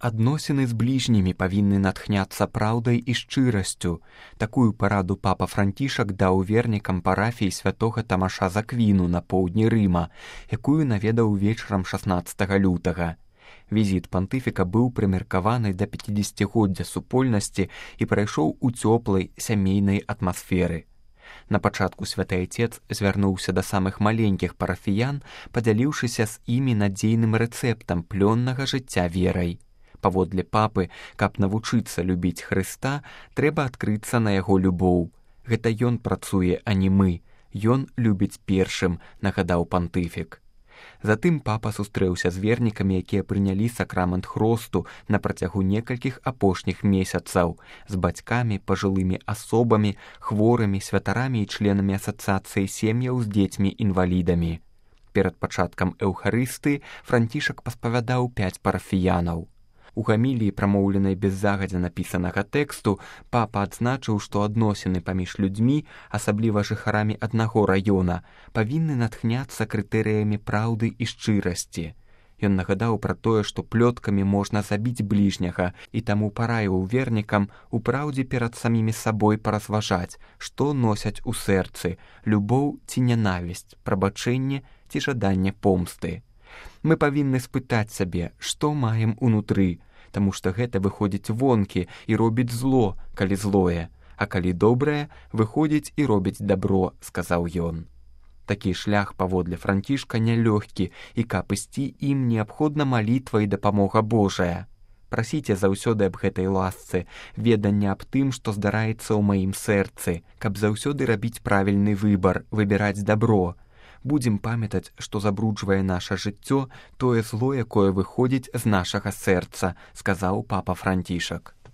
Адносіны з бліжнімі павінны натхняцца праўдай і шчырасцю. Такую параду папа Францішак даў вернікам парафіі святога Тамаша з Аквіну на поўдні Рыма, якую наведаў вечарам 16 лютага. Візіт пантыфіка быў прымеркаваны да 50-годдзя супольнасці і прайшоў у цёплай сямейнай атмасферы. На пачатку святы айцец звярнуўся да самых маленькіх парафіян, падзяліўшыся з імі надзейным рэцэптам плённага жыцця верай. Паводле папы, каб навучыцца любіць Хрыста, трэба адкрыцца на яго любоў. Гэта ён працуе, а не мы. Ён любіць першым, нагадаў пантыфік. Затым папа сустрэўся з вернікамі, якія прынялі сакрамент хросту на працягу некалькіх апошніх месяцаў, з бацькамі, пажылымі асобамі, хворымі, святарамі і членамі асацыяцыі сем'яў з дзецьмі-інвалідамі. Перад пачаткам эўхарыстыі Францішак паспавядаў 5 парафіянаў. У гаміліі, прамоўленай без загадзя напісанага тэксту, папа адзначыў, што адносіны паміж людзьмі, асабліва жыхарамі аднаго раёна, павінны натхняцца крытэрыямі праўды і шчырасці. Ён нагадаў пра тое, што плёткамі можна забіць бліжняга, і таму параіў вернікам у праўдзе перад самімі сабой паразважаць, што носяць у сэрцы – любоў ці нянавісць, прабачэнне ці жаданне помсты. Мы павінны спытаць сабе, што маем унутры, таму што гэта выходзіць вонкі і робіць зло, калі злое, а калі добрае, выходзіць і робіць дабро, сказаў ён. Такі шлях паводле Францішка нялёгкі, і каб ісці ім неабходна малітва і дапамога Божая. Прасіце заўсёды аб гэтай ласцы, ведання аб тым, што здараецца ў маім сэрцы, каб заўсёды рабіць правільны выбар, выбіраць дабро. Будзем памятаць, што забруджвае наша жыццё тое зло, якое выходзіць з нашага сэрца, сказаў папа Францішак.